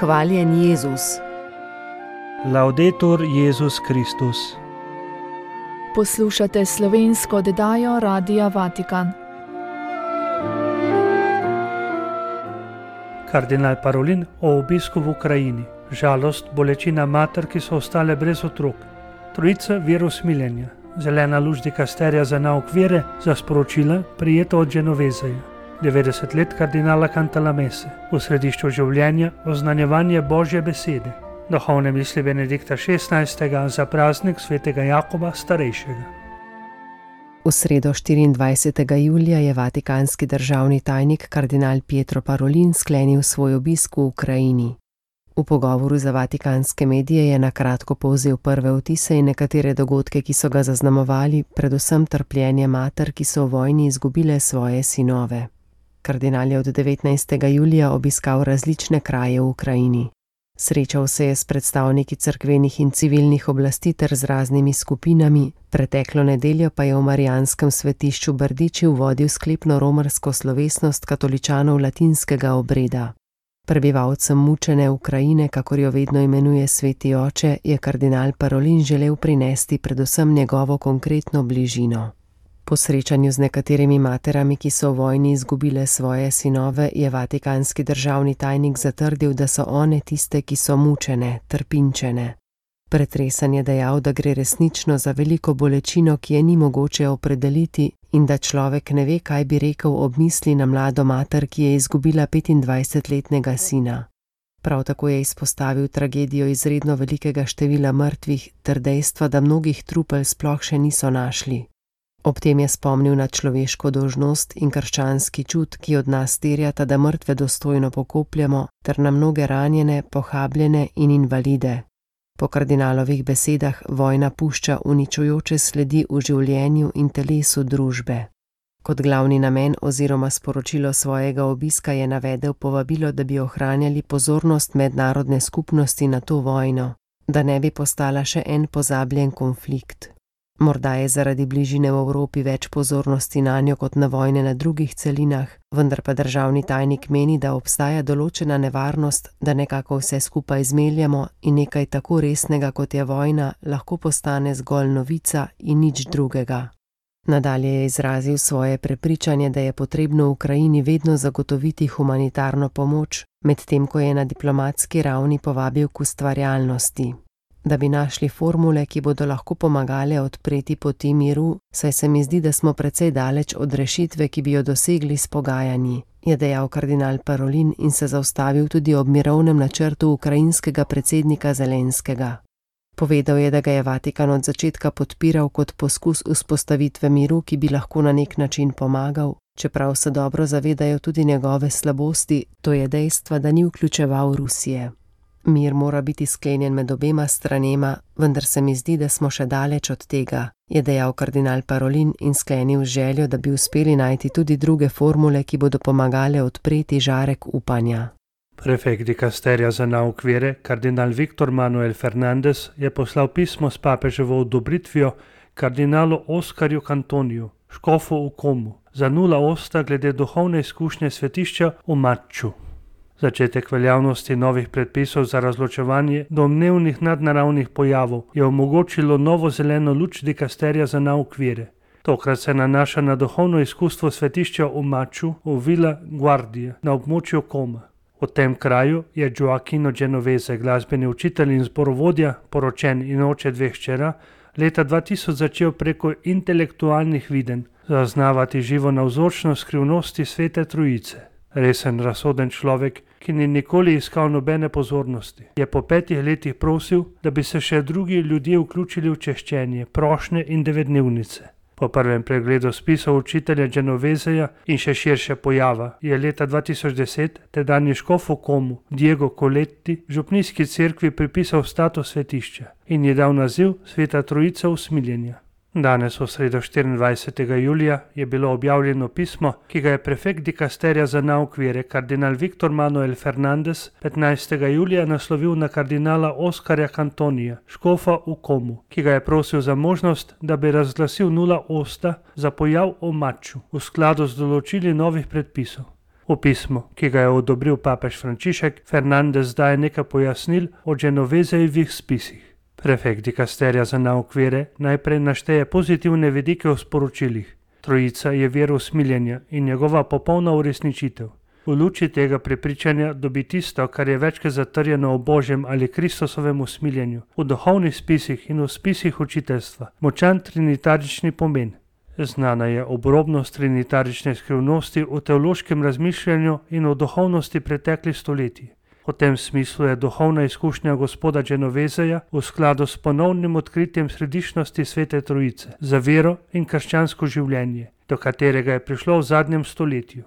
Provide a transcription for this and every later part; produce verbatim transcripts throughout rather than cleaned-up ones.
Hvaljen Jezus. Laudetur Jezus Kristus. Poslušate slovensko oddajo Radia Vatikan. Kardinal Parolin o obisku v Ukrajini. Žalost, bolečina mater, ki so ostale brez otrok. Trojica verosmiljenja. Zelena luč dikasterija za nauk vere, za sporočila, prijeto od Genovezeja. devetdeset let kardinala Cantalamesse. V središču življenja oznanjevanje Božje besede. Duhovne misli Benedikta šestnajstega za praznik svetega Jakoba starejšega. V sredo štiriindvajsetega julija je vatikanski državni tajnik kardinal Pietro Parolin sklenil svoj obisk v Ukrajini. V pogovoru za vatikanske medije je na kratko povzel prve vtise in nekatere dogodke, ki so ga zaznamovali, predvsem trpljenje mater, ki so v vojni izgubile svoje sinove. Kardinal je od devetnajstega julija obiskal različne kraje v Ukrajini. Srečal se je s predstavniki cerkvenih in civilnih oblasti ter z raznimi skupinami, preteklo nedeljo pa je v marijanskem svetišču Brdiči vodil sklepno romarsko slovesnost katoličanov latinskega obreda. Prebivalcem mučene Ukrajine, kakor jo vedno imenuje sveti oče, je kardinal Parolin želel prinesti predvsem njegovo konkretno bližino. Po srečanju z nekaterimi materami, ki so v vojni izgubile svoje sinove, je vatikanski državni tajnik zatrdil, da so one tiste, ki so mučene, trpinčene. Pretresan je dejal, da gre resnično za veliko bolečino, ki je ni mogoče opredeliti in da človek ne ve, kaj bi rekel ob misli na mlado mater, ki je izgubila petindvajsetletnega sina. Prav tako je izpostavil tragedijo izredno velikega števila mrtvih ter dejstva, da mnogih trupel sploh še niso našli. Ob tem je spomnil na človeško dolžnost in krščanski čut, ki od nas terjata, da mrtve dostojno pokopljamo, ter na mnoge ranjene, pohabljene in invalide. Po kardinalovih besedah vojna pušča uničujoče sledi v življenju in telesu družbe. Kot glavni namen oziroma sporočilo svojega obiska je navedel povabilo, da bi ohranjali pozornost mednarodne skupnosti na to vojno, da ne bi postala še en pozabljen konflikt. Morda je zaradi bližine v Evropi več pozornosti nanjo kot na vojne na drugih celinah, vendar pa državni tajnik meni, da obstaja določena nevarnost, da nekako vse skupaj zmeljamo in nekaj tako resnega, kot je vojna, lahko postane zgolj novica in nič drugega. Nadalje je izrazil svoje prepričanje, da je potrebno v Ukrajini vedno zagotoviti humanitarno pomoč, medtem ko je na diplomatski ravni povabil k ustvarjalnosti. Da bi našli formule, ki bodo lahko pomagale odpreti poti miru, saj se mi zdi, da smo precej daleč od rešitve, ki bi jo dosegli s pogajanji, je dejal kardinal Parolin in se zaustavil tudi ob mirovnem načrtu ukrajinskega predsednika Zelenskega. Povedal je, da ga je Vatikan od začetka podpiral kot poskus vzpostavitve miru, ki bi lahko na nek način pomagal, čeprav se dobro zavedajo tudi njegove slabosti, to je dejstva, da ni vključeval Rusije. Mir mora biti sklenjen med obema stranema, vendar se mi zdi, da smo še daleč od tega, je dejal kardinal Parolin in sklenil željo, da bi uspeli najti tudi druge formule, ki bodo pomagale odpreti žarek upanja. Prefekt dikasterija za nauk vere, kardinal Viktor Manuel Fernandez, je poslal pismo s papeževo odobritvijo kardinalu Oskarju Cantoniju, škofu v Komu, za nula osta glede duhovne izkušnje svetišča v Matču. Začetek veljavnosti novih predpisov za razločevanje domnevnih nadnaravnih pojavov je omogočilo novo zeleno luč dikasterija za nauk vere. Tokrat se nanaša na duhovno izkustvo svetišča v Matču v Villa Guardia na območju Koma. V tem kraju je Gioacchino Genovese, glasbeni učitelj in zborovodja, poročen in oče dveh hčera, leta dva tisoč začel preko intelektualnih videnj zaznavati živo navzočnost skrivnosti svete trojice. Resen, razsoden človek, ki ni nikoli iskal nobene pozornosti, je po petih letih prosil, da bi se še drugi ljudje vključili v češčenje, prošnje in devetdnevnice. Po prvem pregledu spisov učitelja Genoveseja in še širše pojava je leta dva tisoč deset tedanji škof v Komu Diego Coletti župnijski cerkvi pripisal status svetišča in je dal naziv Sveta Trojica usmiljenja. Danes v sredo štiriindvajsetega julija je bilo objavljeno pismo, ki ga je prefekt dikasterija za nauk vere kardinal Viktor Manuel Fernandez petnajstega julija naslovil na kardinala Oskarja Cantonija, škofa v Komu, ki ga je prosil za možnost, da bi razglasil nula osta za pojav v Matču v skladu z določili novih predpisov. V pismu, ki ga je odobril papež Frančišek, Fernandez daje nekaj pojasnil o Genovezejevih spisih. Prefekt dikasterija za nauk vere najprej našteje pozitivne vidike v sporočilih. Trojica je vir usmiljenja in njegova popolna uresničitev. V luči tega prepričanja dobi tisto, kar je večkrat zatrjeno o Božjem ali Kristusovem usmiljenju, v duhovnih spisih in v spisih učiteljstva, močan trinitarični pomen. Znana je obrobnost trinitarične skrivnosti v teološkem razmišljanju in v duhovnosti preteklih stoletij. V tem smislu je duhovna izkušnja gospoda Genovezeja v skladu s ponovnim odkritjem središčnosti Svete Trojice za vero in krščansko življenje, do katerega je prišlo v zadnjem stoletju.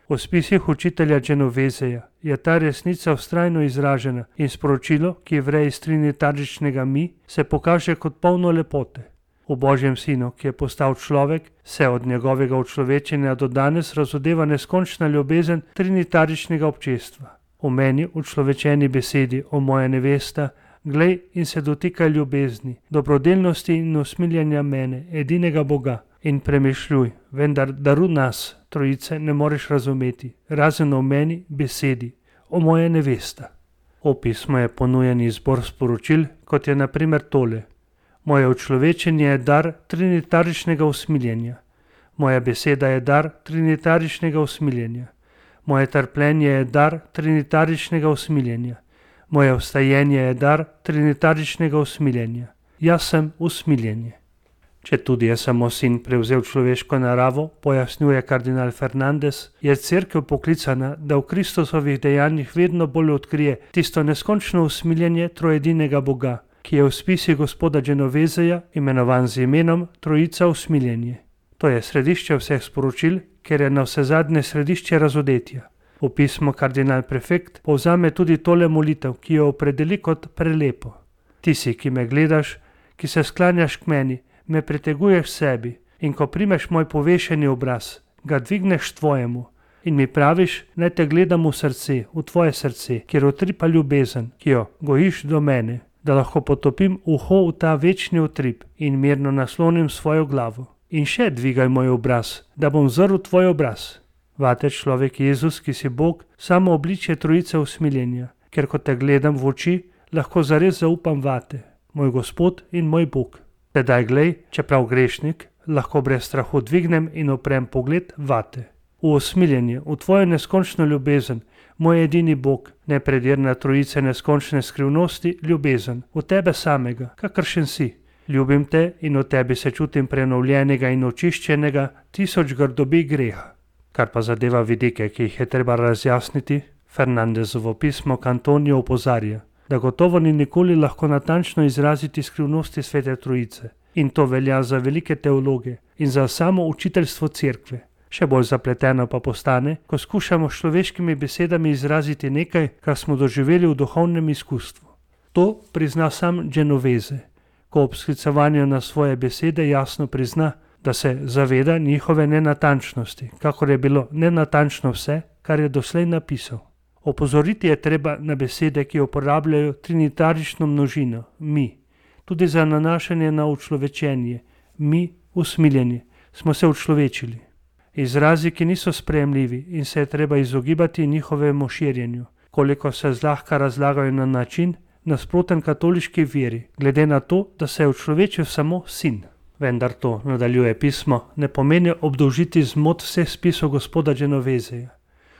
V spisih učitelja Genovezeja je ta resnica vztrajno izražena in sporočilo, ki vre iz trinitaričnega mi, se pokaže kot polno lepote. V Božjem sinu, ki je postal človek, se od njegovega učlovečenja do danes razodeva neskončna ljubezen trinitaričnega občestva. V meni, učlovečeni besedi, o moja nevesta, glej in se dotikaj ljubezni, dobrodelnosti in usmiljenja mene, edinega Boga, in premišljuj, vendar daru nas, trojice, ne moreš razumeti, razen o meni, besedi, o moja nevesta. V pismu je ponujen izbor sporočil, kot je na primer tole. Moje učlovečenje je dar trinitaričnega usmiljenja. Moja beseda je dar trinitaričnega usmiljenja. Moje trpljenje je dar trinitaričnega usmiljenja. Moje vstajenje je dar trinitaričnega usmiljenja. Jaz sem usmiljenje. Če tudi je samo sin prevzel človeško naravo, pojasnjuje kardinal Fernandez, je cerkev poklicana, da v Kristusovih dejanjih vedno bolj odkrije tisto neskončno usmiljenje trojedinega Boga, ki je v spisi gospoda Genovezeja imenovan z imenom Trojica usmiljenje. To je središče vseh sporočil, ker je na vse zadnje središče razodetja. V pismu kardinal prefekt povzame tudi tole molitev, ki jo opredeli kot prelepo. Ti si, ki me gledaš, ki se sklanjaš k meni, me priteguješ sebi in ko primeš moj povešeni obraz, ga dvigneš tvojemu in mi praviš, naj te gledam v srce, v tvoje srce, kjer utripa ljubezen, ki jo gojiš do mene, da lahko potopim uho v ta večni utrip in mirno naslonim svojo glavo. In še dvigaj moj obraz, da bom zrl tvoj obraz. Vate človek Jezus, ki si Bog, samo obličje trojice usmiljenja, ker ko te gledam v oči, lahko zares zaupam vate, moj Gospod in moj Bog. Sedaj glej, čeprav grešnik, lahko brez strahu dvignem in oprem pogled vate. V usmiljenje, v tvojo neskončno ljubezen, moj edini Bog, nepredirna trojice neskončne skrivnosti, ljubezen, v tebe samega, kakršen si. Ljubim te in v tebi se čutim prenovljenega in očiščenega tisoč grdobi greha. Kar pa zadeva vidike, ki jih je treba razjasniti, Fernandezovo pismo k Antoniju opozarja, da gotovo ni nikoli lahko natančno izraziti skrivnosti Svete Trojice. In to velja za velike teologe in za samo učiteljstvo cerkve. Še bolj zapleteno pa postane, ko skušamo s človeškimi besedami izraziti nekaj, kar smo doživeli v duhovnem izkustvu. To prizna sam Genoveze, ko ob sklicovanju na svoje besede jasno prizna, da se zaveda njihove nenatančnosti, kakor je bilo nenatančno vse, kar je doslej napisal. Opozoriti je treba na besede, ki uporabljajo trinitarično množino, mi. Tudi za nanašanje na učlovečenje, mi, usmiljenje, smo se učlovečili. Izrazi, ki niso sprejemljivi in se je treba izogibati njihovemu širjenju, koliko se zlahka razlagajo na način, nasproten katoliški veri, glede na to, da se je učlovečil samo sin. Vendar to, nadaljuje pismo, ne pomeni obdolžiti zmot vseh spisov gospoda Genovezeja.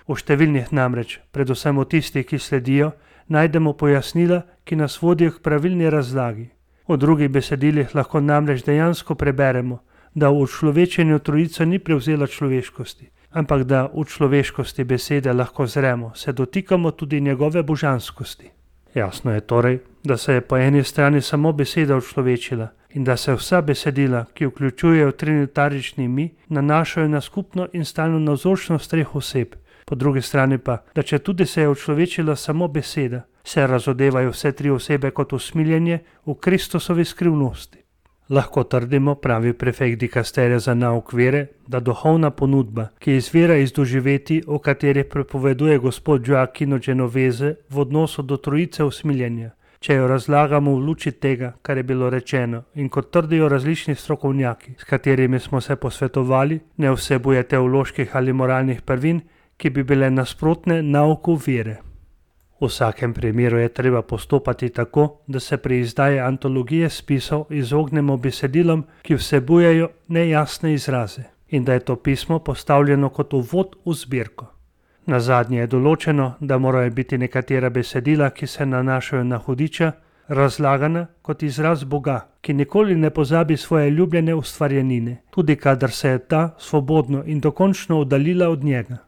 V številnih namreč, predvsem v tistih, ki sledijo, najdemo pojasnila, ki nas vodijo k pravilni razlagi. V drugih besedilih lahko namreč dejansko preberemo, da v učlovečenju trojica ni prevzela človeškosti, ampak da v človeškosti besede lahko zremo, se dotikamo tudi njegove božanskosti. Jasno je torej, da se je po eni strani samo beseda učlovečila in da se vsa besedila, ki vključujejo trinitarični mi, nanašajo na skupno in stalno navzočnost treh oseb. Po drugi strani pa, da če tudi se je učlovečila samo beseda, se razodevajo vse tri osebe kot usmiljenje v Kristusovi skrivnosti. Lahko trdimo, pravi prefekt dikasterija za nauk vere, da duhovna ponudba, ki izvira iz doživetij, o katerih prepoveduje gospod Gioacchino Genoveze v odnosu do trojice usmiljenja, če jo razlagamo v luči tega, kar je bilo rečeno in kot trdijo različni strokovnjaki, s katerimi smo se posvetovali, ne vsebuje teoloških ali moralnih prvin, ki bi bile nasprotne nauku vere. V vsakem primeru je treba postopati tako, da se pri izdaji antologije spisov izognemo besedilom, ki vsebujejo nejasne izraze, in da je to pismo postavljeno kot uvod v zbirko. Nazadnje je določeno, da morajo biti nekatera besedila, ki se nanašajo na hudiča, razlagana kot izraz Boga, ki nikoli ne pozabi svoje ljubljene ustvarjenine, tudi kadar se je ta svobodno in dokončno oddaljila od njega.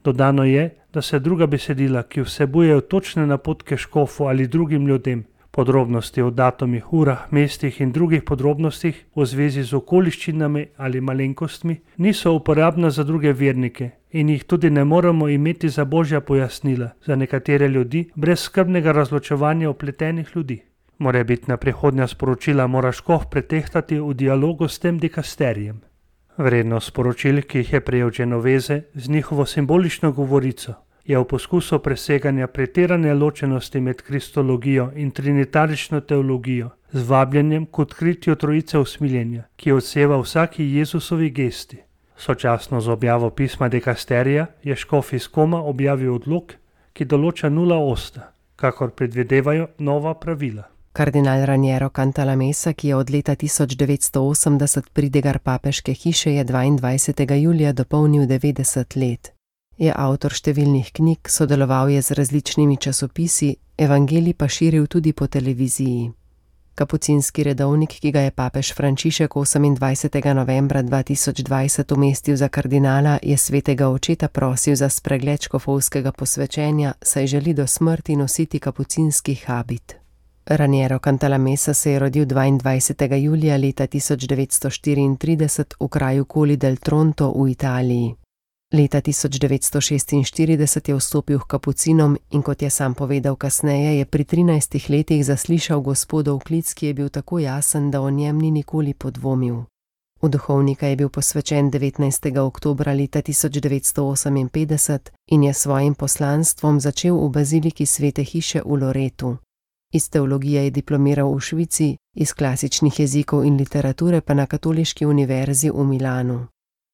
Dodano je, da se druga besedila, ki vsebujejo točne napotke škofu ali drugim ljudem, podrobnosti o datumih, urah, mestih in drugih podrobnostih v zvezi z okoliščinami ali malenkostmi, niso uporabna za druge vernike in jih tudi ne moremo imeti za božja pojasnila, za nekatere ljudi brez skrbnega razločevanja opletenih ljudi. Morebitna prihodnja sporočila mora škof pretehtati v dialogu s tem dikasterijem. Vrednost sporočil, ki jih je prejel Genovese z njihovo simbolično govorico, je v poskusu preseganja pretirane ločenosti med kristologijo in trinitarično teologijo z vabljenjem k odkritju trojice usmiljenja, ki odseva vsaki Jezusovi gesti. Sočasno z objavo pisma dikasterija je škof iz Koma objavil odlok, ki določa nula osta, kakor predvidevajo nova pravila. Kardinal Raniero Cantalamessa, ki je od leta tisoč devetsto osemdeset pridigar papeške hiše, je dvaindvajsetega julija dopolnil devetdeset let. Je avtor številnih knjig, sodeloval je z različnimi časopisi, evangelij pa širil tudi po televiziji. Kapucinski redovnik, ki ga je papež Frančišek osemindvajsetega novembra dva tisoč dvajset umestil za kardinala, je svetega očeta prosil za spregled škofovskega posvečenja, saj želi do smrti nositi kapucinski habit. Raniero Cantalamessa se je rodil dvaindvajsetega julija leta tisoč devetsto štiriintrideset v kraju Colli del Tronto v Italiji. Leta tisoč devetsto šestinštirideset je vstopil k kapucinom in kot je sam povedal kasneje, je pri trinajstih letih zaslišal gospodov klic, ki je bil tako jasen, da o njem ni nikoli podvomil. V duhovnika je bil posvečen devetnajstega oktobra leta tisoč devetsto oseminpetdeset in je svojim poslanstvom začel v baziliki Svete hiše v Loretu. Iz teologije je diplomiral v Švici, iz klasičnih jezikov in literature pa na Katoliški univerzi v Milanu.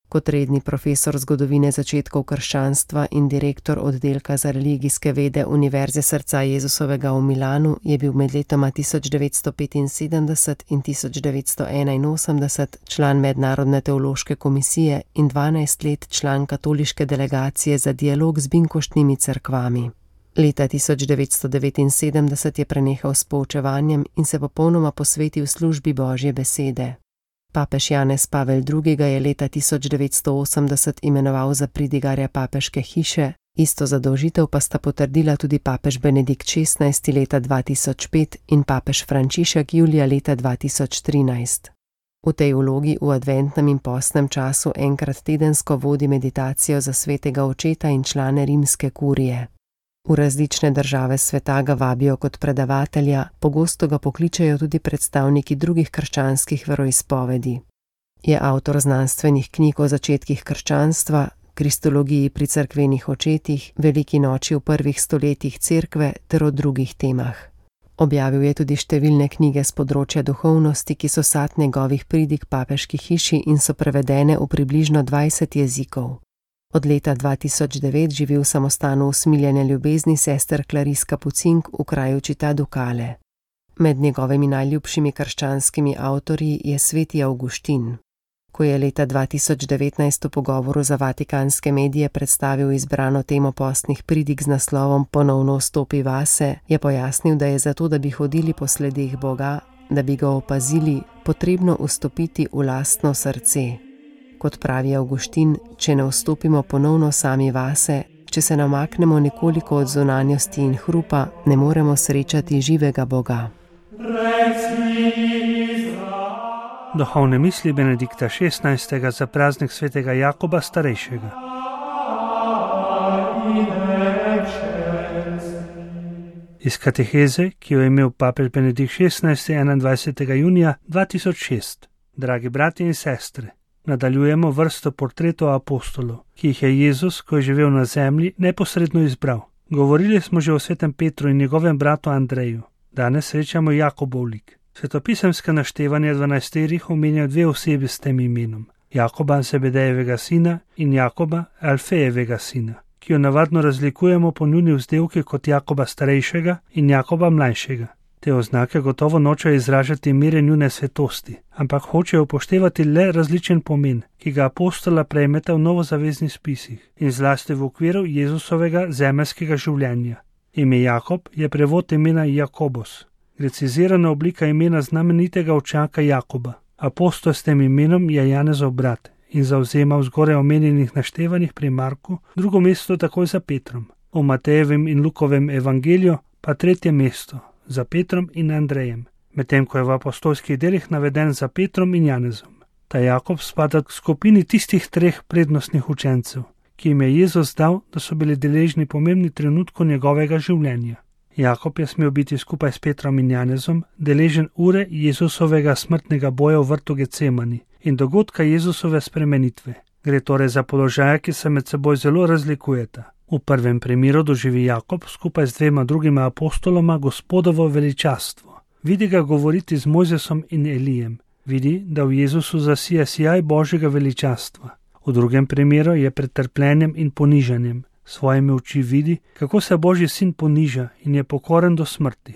Kot redni profesor zgodovine začetkov krščanstva in direktor oddelka za religijske vede Univerze srca Jezusovega v Milanu je bil med letoma tisoč devetsto petinsedemdeset in tisoč devetsto enainosemdeset član Mednarodne teološke komisije in dvanajst let član katoliške delegacije za dialog z binkoštnimi cerkvami. Leta tisoč devetsto devetinsedemdeset je prenehal s poučevanjem in se popolnoma posvetil službi Božje besede. Papež Janez Pavel drugi. ga je leta tisoč devetsto osemdeset imenoval za pridigarja papeške hiše, isto zadolžitev pa sta potrdila tudi papež Benedikt šestnajsti. leta dva tisoč pet in papež Frančišek julija leta dva tisoč trinajst. V tej vlogi v adventnem in postnem času enkrat tedensko vodi meditacijo za svetega očeta in člane rimske kurije. V različne države sveta ga vabijo kot predavatelja, pogosto ga pokličejo tudi predstavniki drugih krščanskih veroizpovedi. Je avtor znanstvenih knjig o začetkih krščanstva, kristologiji pri cerkvenih očetih, veliki noči v prvih stoletjih cerkve ter o drugih temah. Objavil je tudi številne knjige z področja duhovnosti, ki so sad njegovih pridig papeški hiši in so prevedene v približno dvajset jezikov. Od leta dva tisoč devet živi v samostanu usmiljene ljubezni sester Clarice Kapucink v kraju Città Ducale. Med njegovimi najljubšimi krščanskimi avtorji je sveti Avguštin. Ko je leta dva tisoč devetnajst v pogovoru za vatikanske medije predstavil izbrano temo postnih pridig z naslovom Ponovno vstopi vase, je pojasnil, da je zato, da bi hodili po sledeh Boga, da bi ga opazili, potrebno vstopiti v lastno srce. Kot pravi Avguštin, če ne vstopimo ponovno sami vase, če se namaknemo nekoliko od zunanjosti in hrupa, ne moremo srečati živega Boga. Duhovne misli Benedikta šestnajstega za praznik svetega Jakoba starejšega. Iz kateheze, ki jo je imel papež Benedikt šestnajsti enaindvajsetega junija dva tisoč šest. Dragi brati in sestre, nadaljujemo vrsto portretov apostolov, ki jih je Jezus, ko je živel na zemlji, neposredno izbral. Govorili smo že o svetem Petru in njegovem bratu Andreju. Danes srečamo Jakobov lik. Svetopisemske naštevanje dvanajsterih omenja dve osebi s tem imenom. Jakoba Zebedejevega sina in Jakoba Alfejevega sina, ki jo navadno razlikujemo po njuni vzdevki kot Jakoba starejšega in Jakoba mlajšega. Te oznake gotovo nočejo izražati mere njune svetosti, ampak hočejo upoštevati le različen pomen, ki ga apostola prejmeta v novozaveznih spisih in zlasti v okviru Jezusovega zemeljskega življenja. Ime Jakob je prevod imena Jakobos, grecizirana oblika imena znamenitega očaka Jakoba. Apostol s tem imenom je Janezov brat in zavzema v zgoraj omenjenih naštevanjih pri Marku drugo mesto takoj za Petrom, v Matejevem in Lukovem evangeliju pa tretje mesto za Petrom in Andrejem, medtem ko je v apostolskih delih naveden za Petrom in Janezom. Ta Jakob spada k skupini tistih treh prednostnih učencev, ki jim je Jezus dal, da so bili deležni pomembni trenutku njegovega življenja. Jakob je smel biti skupaj s Petrom in Janezom deležen ure Jezusovega smrtnega boja v vrtu Getsemani in dogodka Jezusove spremenitve. Gre torej za položaje, ki se med seboj zelo razlikujeta. V prvem primeru doživi Jakob skupaj z dvema drugima apostoloma Gospodovo veličastvo. Vidi ga govoriti z Mojzesom in Elijem. Vidi, da v Jezusu zasija sijaj Božjega veličastva. V drugem primeru je pred trpljenjem in ponižanjem. Svojimi oči vidi, kako se Božji sin poniža in je pokoren do smrti.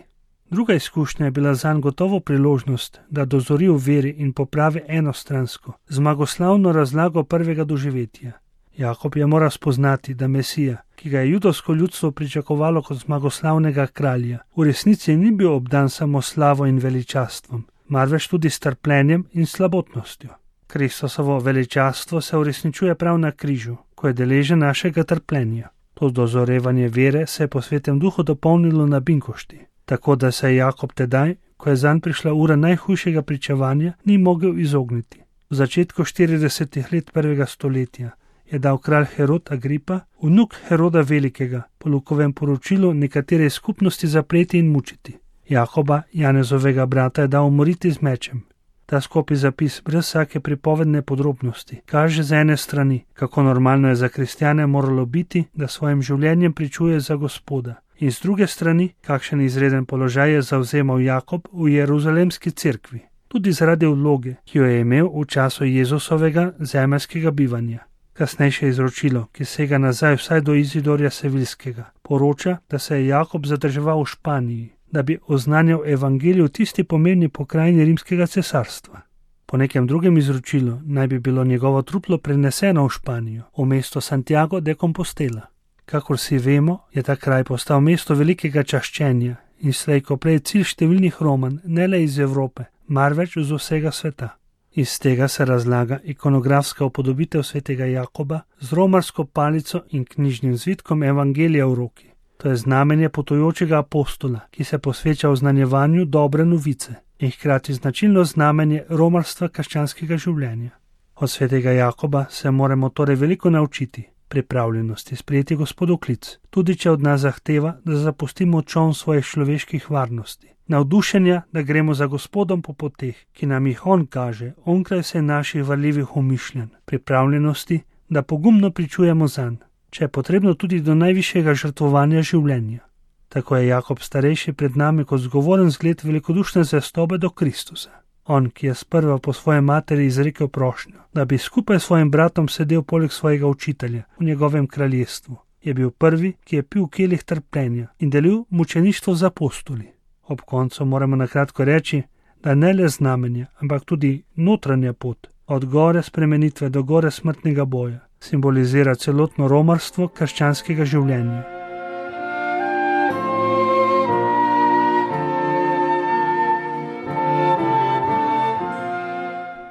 Druga izkušnja je bila zanj gotovo priložnost, da dozori v veri in popravi enostransko, zmagoslavno razlago prvega doživetja. Jakob je moral spoznati, da Mesija, ki ga je judovsko ljudstvo pričakovalo kot zmagoslavnega kralja, v resnici ni bil obdan samo slavo in veličastvom, marveč tudi s trpljenjem in slabotnostjo. Kristusovo veličastvo se uresničuje prav na križu, ko je deležen našega trpljenja. To dozorevanje vere se je po Svetem Duhu dopolnilo na binkošti, tako da se je Jakob tedaj, ko je zanj prišla ura najhujšega pričevanja, ni mogel izogniti. V začetku štiridesetih let prvega stoletja je dal kralj Herod Agripa, vnuk Heroda Velikega, po Lukovem poročilu nekatere skupnosti zapreti in mučiti. Jakoba, Janezovega brata, je dal umoriti z mečem. Ta skopi zapis brez vsake pripovedne podrobnosti kaže z ene strani, kako normalno je za kristjane moralo biti, da svojim življenjem pričuje za Gospoda, in z druge strani, kakšen izreden položaj je zavzemal Jakob v Jeruzalemski cerkvi, tudi zaradi vloge, ki jo je imel v času Jezusovega zemeljskega bivanja. Kasnejše izročilo, ki sega nazaj vsaj do Izidorja Sevilskega, poroča, da se je Jakob zadrževal v Španiji, da bi oznanjal evangelij v tisti pomembni pokrajini rimskega cesarstva. Po nekem drugem izročilu naj bi bilo njegovo truplo preneseno v Španijo, v mesto Santiago de Compostela. Kakor si vemo, je ta kraj postal mesto velikega čaščenja in slej ko prej cilj številnih Roman, ne le iz Evrope, marveč z vsega sveta. Iz tega se razlaga ikonografska upodobitev svetega Jakoba z romarsko palico in knjižnim zvitkom evangelija v roki. To je znamenje potujočega apostola, ki se posveča oznanjevanju dobre novice in hkrati značilno znamenje romarstva krščanskega življenja. Od svetega Jakoba se moramo torej veliko naučiti, pripravljenosti sprejeti Gospodov klic, tudi če od nas zahteva, da zapustimo čoln svojih človeških varnosti, navdušenja, da gremo za Gospodom po poteh, ki nam jih on kaže, onkraj vse naših varljivih umišljenj, pripravljenosti, da pogumno pričujemo zanj, če je potrebno tudi do najvišjega žrtvovanja življenja. Tako je Jakob starejši pred nami kot zgovoren zgled velikodušne zvestobe do Kristusa. On, ki je sprva po svoje materi izrekel prošnjo, da bi skupaj s svojim bratom sedel poleg svojega učitelja v njegovem kraljestvu, je bil prvi, ki je pil kelih trpljenja in delil mučeništvo z apostoli. Ob koncu moramo na kratko reči, da ne le znamenja, ampak tudi notranja pot, od gore spremenitve do gore smrtnega boja, simbolizira celotno romarstvo krščanskega življenja.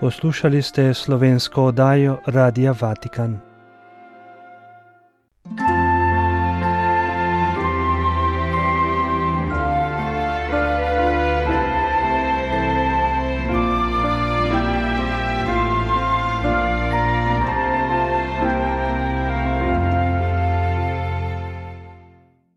Poslušali ste slovensko oddajo Radia Vatikan.